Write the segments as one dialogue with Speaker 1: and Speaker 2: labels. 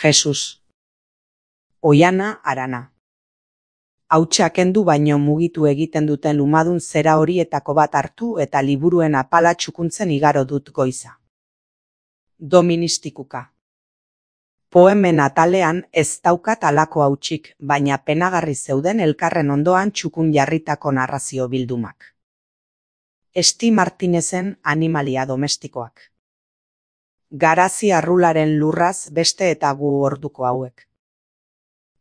Speaker 1: Jesus. Oiana harana. Hautsa kendu baino mugitu egiten duten lumadun zera horietako bat hartu eta liburuen apala txukuntzen igaro dut goiza. Doministikuka. Poemen atalean ez daukat halako hautsik, baina penagarri zeuden elkarren ondoan txukun jarritako narrazio bildumak. Esti Martinezen Animalia domestikoak. Garazi Arrularen Lurraz beste eta gu orduko hauek.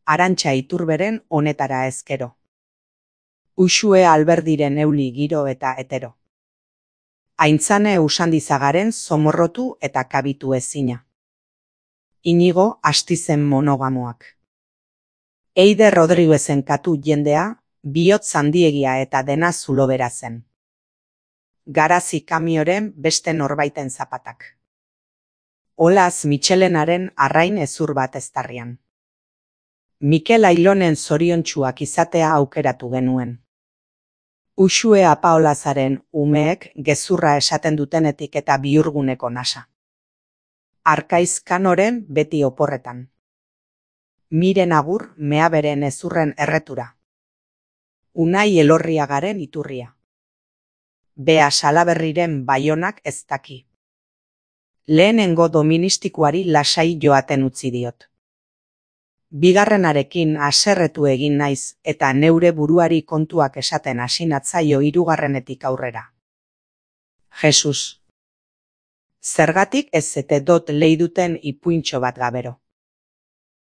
Speaker 1: Arantxa Iturberen Honetara ezkero. Uxue Alberdiren Euli giro eta etero. Aintzane Usandizagaren Zomorrotu eta kabitu ezina. Inigo Astizen Monogamoak. Eide Rodriguezen Katu jendea, bihotz handiegia eta dena zulobera zen. Garazi Kamioren Beste norbaiten zapatak. Olaz Mitxelenaren Arrain ezur bat eztarrian. Mikel Ailonen zoriontsuak izatea aukeratu genuen. Uxue Apaolazaren Umeek gezurra esaten dutenetik eta bihurguneko nasa. Arkaiz Kanoren Beti oporretan. Miren Agur Meaberen ezurren erretura. Unai Elorriagaren Iturria. Bea Salaberriren Baionak ez daki. Lehenengo doministikoari lasai joaten utzi diot. Bigarrenarekin haserretu egin naiz eta neure buruari kontuak esaten hasi natzaio hirugarrenetik aurrera. Jesus. Zergatik ez zete dot leiduten ipuintxo bat gabero.